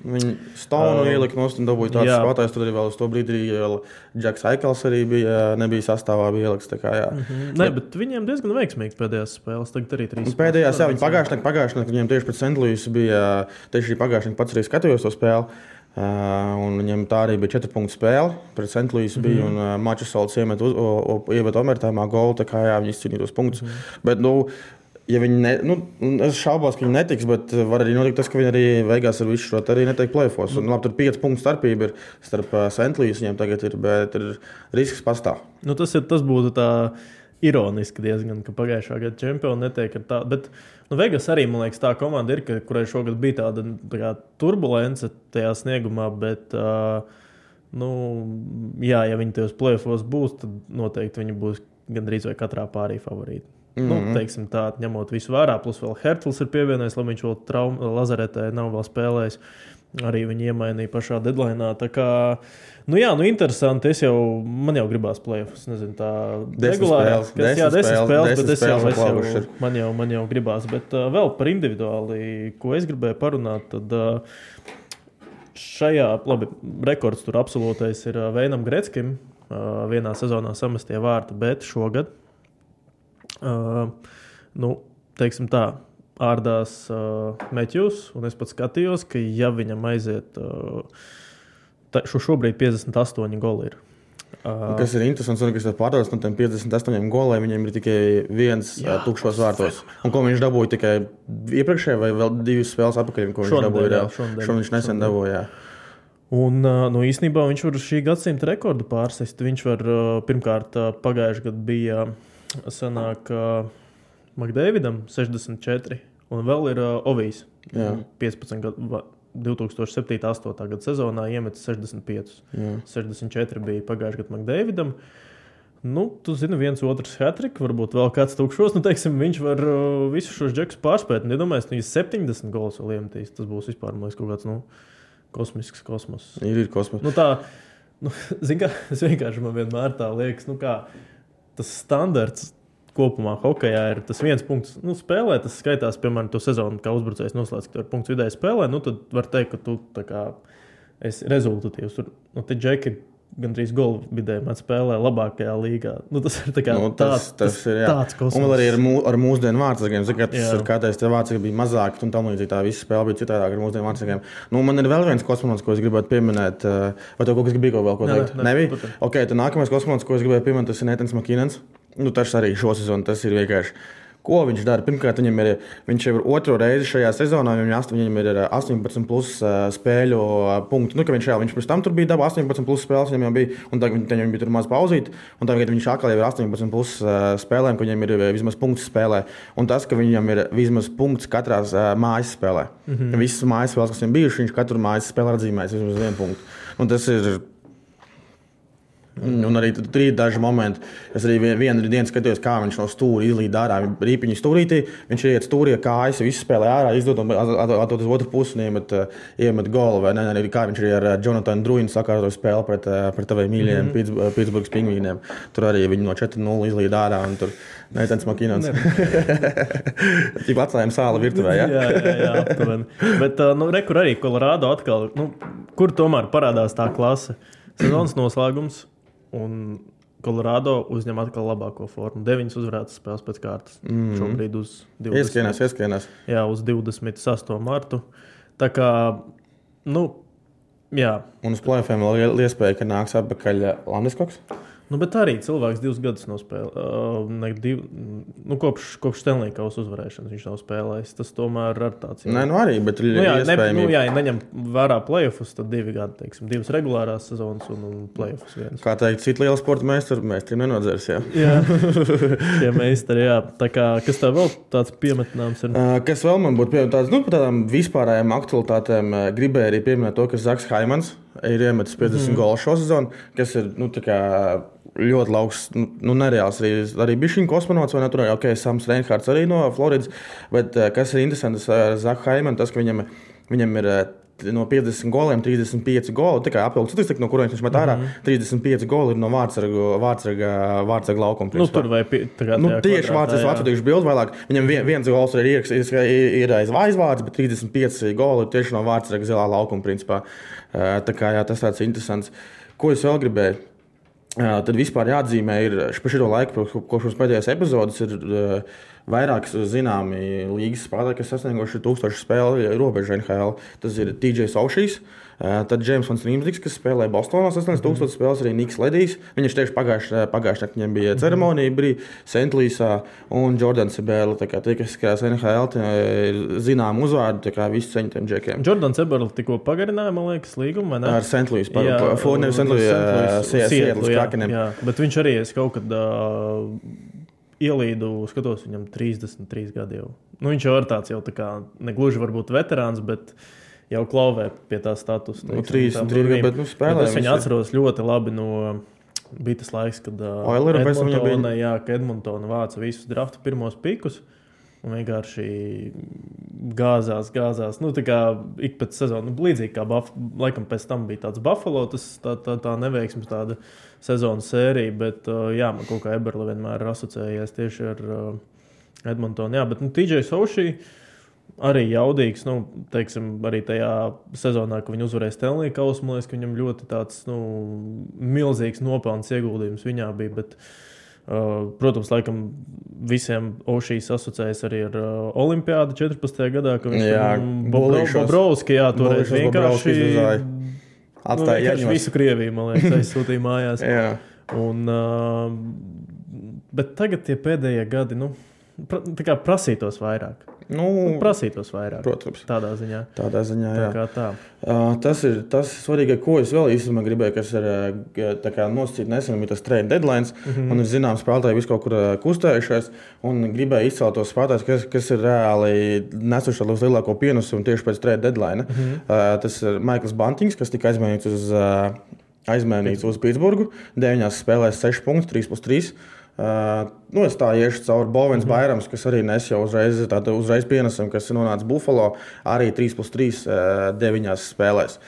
Viņi Stonu ielika nost un dabūja tāds spēlētājs. Tur arī vēl uz to brīdi Džeks Aikels arī nebija sastāvā ielikts. Bet viņiem diezgan veiksmīgi pēdējās spēles. Tagad arī 3. Pēdējās, viņi pagājušajā viņiem tieši pret St. Louis bija, tieši pagājušajā pats arī skatījos to spēli. Un viņam tā arī bija 4 punktu spēle. Pret St. Louis bija un Mačesolds iemet overtājumā golu, tā kā viņi izcīnīja tos punktus. Bet, ja viņi es šaubos, ka viņi netiks, bet var arī notikt tas, ka viņi arī Vegas ar visu šo arī netiek play-offs. Un labi, tur 5 punktu starpība ir starp St. Louis viņiem tagad ir, bet ir risks pastāv. Tas būtu tā ironiski diezgan, ka pagājušā gada čempioni netiek ar tādu. Bet Vegas arī, man liekas, tā komanda ir, kurai šogad bija tāda turbulence tajā sniegumā, bet ja viņi tajos play-offos būs, tad noteikti viņi būs gandrīz vai katrā pārī favorīti. Teiksim tā, ņemot visu vērā, plus vēl Hertls ir pievienojis, lai viņš vēl lazaretē nav vēl spēlējis. Arī viņi iemainīja pašā deadline'ā. Tā kā, interesanti. Man jau gribās play-offs. Nezinu, tā regulāri. 10 spēles, bet man jau gribās. Bet vēl par individuāli, ko es gribēju parunāt, tad šajā, rekords tur absolūtais ir Veinam Gretzkim. Vienā sezonā samestie vārti, bet šogad teiksim tā, ārdās Matthews, un es pat skatījos, ka ja viņam aiziet, šobrīd 58 goli ir. Kas ir interesants, un kas ir pārdevās no tiem 58 goliem, viņiem ir tikai viens tukšos vārtos. Un ko viņš dabūja tikai iepriekšējā vai vēl 2 spēles atpakaļ, ko viņš dabūja? Šodien viņš nesen dabūja, Un īstenībā viņš var šī gadsimta rekordu pārsist. Viņš var, pirmkārt, pagājušajā gadā bija sanāk McDavidam 64, un vēl ir Ovijs 15 gadu, 2007.-2008. Gada sezonā iemetis 65. 64 bija pagājušajā gadā McDavidam. Tu zini, viens otrs hat-trick, varbūt vēl kāds tukšos. Teiksim, viņš var visus šos džekus pārspēt. Iedomājies, ja 70 gols vēl iemetīs, tas būs vispār, man liekas, kaut kāds, kosmisks kosmos. Ir kosmos. Zini kā, es vienkārši man vienmēr tā liekas, kā tas standarts kopumā hokejā ir tas viens punkts. Spēlē, tas skaitās, piemēram, to sezonu, kā uzbrucējs noslēdz, ka tu ar punktu vidēji spēlē, tad var teikt, ka tu tā kā esi rezultatīvs. Te džeki gandrīz golu vidēji met spēlē labākajā līgā. Tas ir tā kā tas ir, tāds kosmos. Un vēl arī ar mūsdienu vārdsargiem. Tas ir kādreiz tie vārdsargi bija mazāki, un tam līdzīgi tā visa spēle bija citādāk ar mūsdienu vārdsargiem. Man ir vēl viens kosmonauts, ko es gribētu pieminēt. Vai tev kaut kas bija vēl ko teikt? Nebija? Ok, tad nākamais kosmonauts, ko es gribēju pieminēt, tas ir Natans McKinnons. Tas arī šo sezonu, tas ir vienkārši. Ko viņš dara? Pirmkārt, viņš jau ir otro reizi šajā sezonā, viņam ir 18 plus spēļu punktu. Viņš pirms tam tur bija dabā 18 plus spēles, viņam jau bija, un tagad viņam bija tur maz pauzīt, un tagad viņš atkal jau ir 18 plus spēlēm, ka viņam ir vismaz punkts spēlē. Un tas, ka viņam ir vismaz punkts katrās mājas spēlē. Visas mājas spēles, kas viņam bijuši, viņš katru mājas spēlē atzīmēs vismaz 1 punktu. Un tas ir. Un arī tur ir daži momenti. Es arī vienu dienu skatījos, kā viņš no stūra izlīd ārā. Rīpiņu stūrītī, viņš iet stūrī, kājas, visu spēlē ārā, izdod un atdod uz otru pusi un iemet golu. Vai ne, arī kā viņš arī ar Jonathan Druinu sakārto spēli pret taviem mīļajiem Pittsburghas pingvīniem. Tur arī viņi no 4-0 izlīd ārā un tur Natans McKinnons. Tik atstājām sāla virtuvē, ja? Jā, aptuveni. Bet, rekur arī Colorado atkal, kur tomēr parādās tā klase. Sezonas noslēgums. Un Colorado uzņem atkal labāko formu. 9 uzvarētas spēles pēc kārtas. Šobrīd uz 20. Ieskienās. Jā, uz 28. martu. Tā kā, jā. Un uz play-offiem vēl iespēja, ka nāks atpakaļ Landeskoks? Nu, bet arī cilvēks 2 gadus nospēlē. Kopš Stanley Kausa uzvarēšanas viņš nav spēlējis. Tas tomēr ir tāds. Nē, arī, bet iespējami. Ja neņem vērā playoffus, tad 2 gadi, teiksim, 2 regulārās sezonas un playoffus viens. Kā teikt, citi liela sporta meistri nenodzers, jā. Jā, tie meistari, jā. Tā kā, kas tā vēl tāds piemetināms ir? Kas vēl man būtu piemetināts, par tādām vispārējām aktualitātēm gribēju arī pieminēt to, ka Zaks Haimans ir iemetis 50 golu šo sezonu, kas ir, tā kā ļoti lauks, nereāls arī bišķiņ kosmonauts, vai ne, tur arī, Sams Reinhards arī no Floridas, bet kas ir interesants ar Zaku Haimanu, tas, ka viņam ir no 50 goliem 35 goli, tā kā apvilkt statistika, no kuriem viņš met ārā, 35 goli ir no vārtsarga laukuma. Tur vai tieši vārtsargiešu bildi vēlāk. Viņam viens gols ir aiz aizvārds, bet 35 goli ir tieši no vārtsarga zilā laukuma, principā. Tā kā, jā, tas tāds interesants. Ko es vēl gribēju? Tad vispār jāatzīmē ir par šo laiku, kopš mums pēdējās epizodes ir vairāk zināmi līgas spēlētāji, kas sasnieguši 1000 spēļu robežu NHL. Tas ir TJ Oshijs, tad James Van Riemsdyks, kas spēlēja Bostonā 1000 spēles, arī Niks Ledijs. Viņš tieši pagājušajā viņam bija ceremonija, bija St. Louisā un Jordans Eberle. Tā kā tie, kas skatās NHL, ir zinām uzvārdu, tā kā visi ceņ tiem džekiem. Jordans Eberle tikko pagarināja, man liekas, līgumu, vai ne? Ar St. Louis, nevis St. Louis, Seattles Krakeniem. Jā, bet viņš arī kaut kad ielīdu, skatos, viņam 33 gadi jau. Viņš jau ir tāds jau tā kā, negluži varbūt veterāns, bet jau klauvē pie tā statusa. 33 gadi, bet spēlē. Es viņu atceros ļoti labi no bija tas laiks, kad Edmontona vāca visus draftu pirmos pikus. Un vienkārši gāzās. Tā kā ik pēc sezonu, līdzīgi kā laikam pēc tam bija tāds Buffalo, tā neveiksmes tāda sezonas sērija, bet man kaut kā Eberle vienmēr ir asociējies tieši ar Edmontonu. Jā, bet TJ Oshijs arī jaudīgs, teiksim, arī tajā sezonā, kad viņi uzvarēja Stanley Kausu, man liekas, ka viņam ļoti tāds, milzīgs nopelns ieguldījums viņā bija, bet protams, laikam visiem Oshijs asociējas arī ar Olimpiādu 14. gadā, ka viņš Bobrovski, toreiz vienkārši atstāja visu Krieviju, man liekas, aizsūtīja mājās. Bet tagad tie pēdējie gadi, tā kā prasītos vairāk. Protams. Tādā ziņā, jā. Tā kā tā. Tas ir svarīgi, ko es vēl īstenībā gribēju, kas ir tā kā nosacīt nesen, ir tas trade deadlines. Man ir zināms spēlētāji visu kaut kur kustējušies, un gribēju izcelt tos spēlētājus, kas ir reāli nesuši uz lielāko pienesumu tieši pēc trade deadline. Tas ir Maikls Bantings, kas tika aizmainīts uz Pitsburgu. 9 spēlēs 6 punktus, 3+3. Es tā iešu cauri Bovens Bairams, kas arī nes jau uzreiz pienesam, kas ir nonācis Buffalo, arī 3+3 9 spēlēs.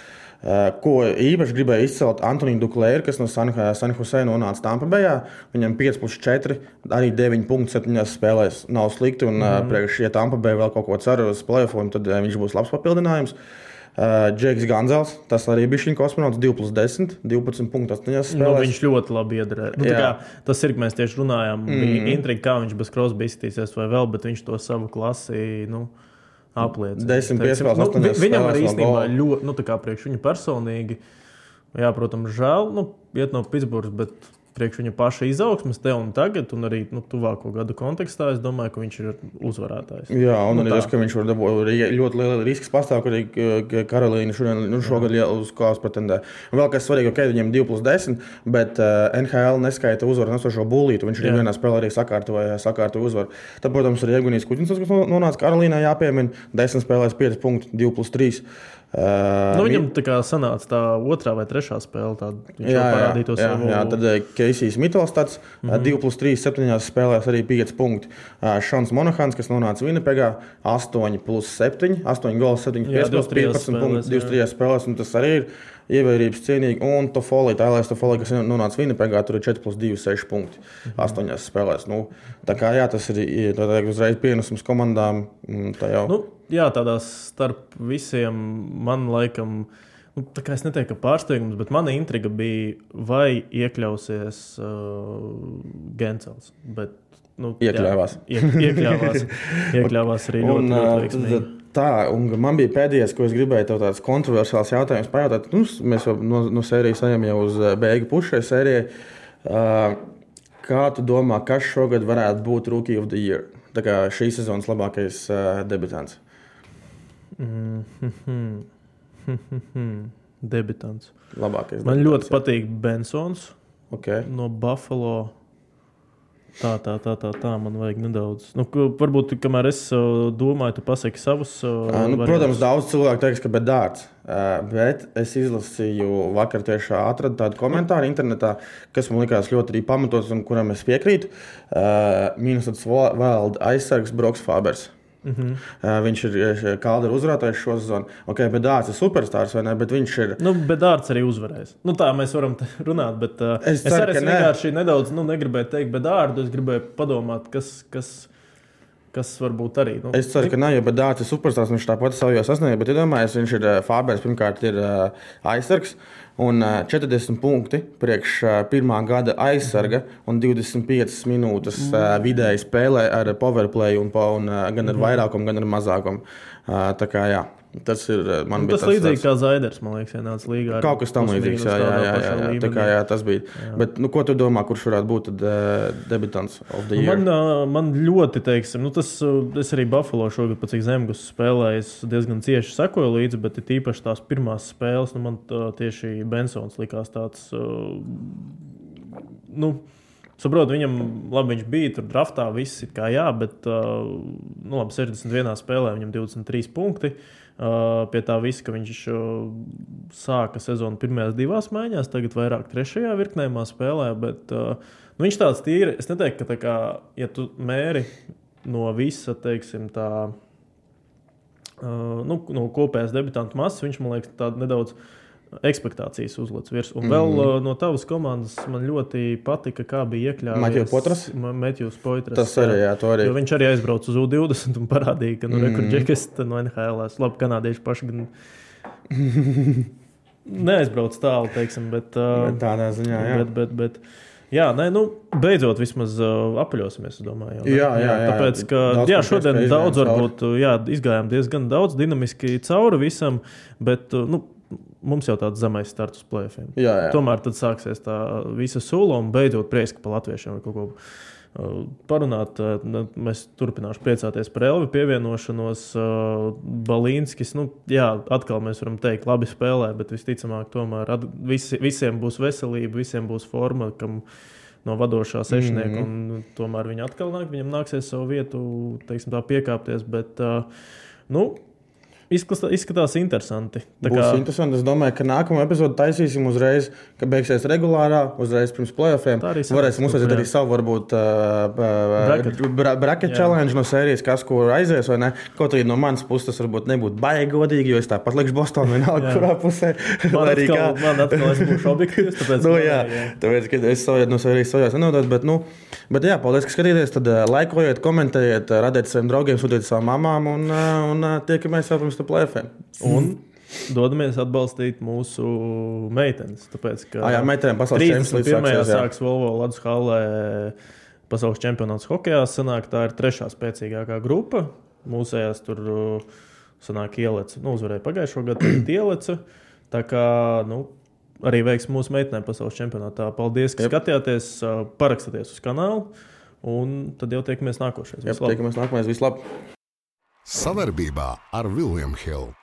Ko īpaši gribēju izcelt Antoniju Duklēru, kas no San Jose nonāca Tampa Bayā. Viņam 5+4, arī 9.7 spēlēs nav slikti, un priekš, ja Tampa Bay vēl kaut ko cer uz playoffiem, tad viņš būs labs papildinājums. Džeks Ganzels, tas arī bija viņa kosmonauts, 2+10, 12.8 spēlēs. Viņš ļoti labi iedarēja. Tas ir, ka mēs tieši runājām, bija intriga, kā viņš bez Crosby izskatīsies vai vēl, bet viņš to savu klasi apliecina. 10 piespēles, 8 spēlēs. Viņam arī īstenībā ļoti, tā kā priekš viņa personīgi, jā, protams, žēl, iet no Pitsburgas, bet priekš viņa paša izaugsmes te un tagad, un arī tuvāko gadu kontekstā, es domāju, ka viņš ir uzvarētājs. Jā, un arī tas, ka viņš var dabūt ļoti liela risks pastāv, ka arī Karolīna šogad uz kāds pretendē. Un vēl kas svarīgi, viņiem 2+10, bet NHL neskaita uzvaru nesošo bullītu, viņš arī vienā spēlē arī sakārtoja uzvaru. Tad, protams, arī Evgenijs Kuķins, kas nonāca Karolīnā, jāpiemina, 10 spēlēs 5 punkti, 2+3. Viņam tā kā sanāca tā otrā vai trešā spēle, viņš jau parādīja to savu. Jā, tad Keisijs Mitelstats, 2+3, 7 spēlēs arī 5 punkti. Šons Monahans, kas nonāca Winnipegā, 8+7, 8 gols, 7 piespēles, 15 punkti, 23 spēlēs, un tas arī ir ievērības cienīgi. Un Tālēs Tofolī, kas nonāca Winnipegā, tur ir 4+2, 6 punkti, 8 spēlēs. Tā kā jā, tas ir uzreiz pienesums komandām. Tā jau. Tādās starp visiem man laikam, tā kā es neteiktu, ka pārsteigums, bet mana intriga bija, vai iekļausies Gensels. Bet, iekļāvās. Iekļāvās arī ļoti veiksmīgi. Un man bija pēdējais, ko es gribēju tev tāds kontroversiāls jautājums pajautāt. Mēs jau no sērijas ejam jau uz beigu pušu šai sērijai. Kā tu domā, kas šogad varētu būt Rookie of the Year? Tā kā šī sezonas labākais debitants. Debitants. Labākais Man debitants, ļoti patīk Bensons no Buffalo. Tā, man vajag nedaudz. Varbūt, kamēr es domāju, tu pasaki savus. Protams, daudz cilvēku teiks, ka Bedārds. Bet es izlasīju vakar tieši atradu tādu komentāru internetā, kas man likās ļoti arī pamatots un kuram es piekrītu. Minnesotas Wild aizsargs Broks Fabers. Viņš ir Calderu uzvarētājs šo sezonu. Bedārds ir superstārs, vai ne? Bet viņš ir... Bedārds arī uzvarēs. Tā mēs varam runāt, bet es ceru, arī vienkārši nedaudz negribēju teikt Bedārdu. Es gribēju padomāt, kas varbūt arī... Es ceru, ka nav, jo Bedārds ir superstārs, viņš tāpat savu jau sasniedz, bet iedomājies, viņš ir Fabers, pirmkārt ir aizsargs. Un 40 punkti priekš pirmā gada aizsarga un 25 minūtes vidēji spēlē ar powerplay un gan ar vairākumu, gan ar mazākumu. Tā kā jā, tas ir man tas līdzīgi kā Zaiders, man liekas, ienāca līgā. Kaut kas tam līdzīgs, jā. Tā kā jā, tas bija. Jā. Bet, ko tu domā, kurš varētu būt debitants of the year? Man ļoti, teiksim, es arī Buffalo šogad, pēc cik Zemgus spēlēju, es diezgan cieši sekoju līdzi, bet ir tīpaši tās pirmās spēles, man tieši Bensons likās tāds, saprotu, viņam, labi, viņš bija tur draftā, viss ir kā jā, bet, 61 spēlē viņam 23 punkti. Pie tā visa, ka viņš sāka sezonu pirmajās 2 maiņās, tagad vairāk 3. virknējumā spēlē, bet viņš tāds tīri, es neteiktu, ka tā kā, ja tu mēri no visa, teiksim, tā, no kopējās debitantu masas, viņš, man liekas, tāda nedaudz ekspektācijas uzlec virs. Un vēl no tavas komandas man ļoti patika, kā bija iekļāvies Matthews Poitras. Tas arī, jā, to arī. Jo viņš arī aizbrauc uz U20 un parādīja, ka rekordžekes no NHL-ās. Labi, kanādieši paši gan neaizbrauc tālu, teiksim, bet tādā ziņā, jā. Bet jā, beidzot vismaz apaļosimies, es domāju. Jā. Tāpēc, ka šodien daudz varbūt, izgājām diezgan daudz dinamiski cauri visam, bet, mums jau tāds zemais starts uz play-offiem. Jā. Tomēr tad sāksies tā visa sula un beidzot prieski pa latviešiem vai kaut ko parunāt. Mēs turpināšu priecāties par Elvi pievienošanos. Balīnskis, atkal mēs varam teikt, labi spēlē, bet visticamāk tomēr visiem būs veselība, visiem būs forma, kam no vadošā sešnieka, un tomēr viņi atkal viņam nāksies savu vietu, teiksim tā, piekāpties, bet, izskatās interesanti. Būs interesanti. Es domāju, ka nākamo epizodu taisīsim uzreiz, ka beigsies regulārā, uzreiz pirms play-offiem. Varēsim uzsākt arī savu, varbūt, bracket challenge no sērijas, kas kur aizies, vai ne? Kaut arī no manas puses tas varbūt nebūtu baigi godīgi, jo es tāpat likšu Bostonu vienalga, kurā pusē. Man atkal es būšu objektīvs, tāpēc... Tāpēc, ka es no sērijas savās nenodot, bet jā, paldies, ka skatījāties, tad laikojiet, komentējiet, radiet saviem draugiem, sūtiet savām mamām un tiekamies jau pirms play-offiem. Un dodamies atbalstīt mūsu meitenes. Tāpēc, ka meitenēm pasaules čempionāts 31. sāks Volvo Ladus hallē pasaules čempionāts hokejā. Sanāk, tā ir 3. spēcīgākā grupa. Mūsējās tur sanāk Ieleca. Uzvarēja pagājušo gadu Ieleca. Tā kā, arī veiks mūsu meitenēm pasaules čempionātā. Paldies, ka skatījāties. Parakstaties uz kanālu. Un tad jau tiekamies nākošais. Tiekamies nākošais. Vislabāk! Savarbībā ar William Hill.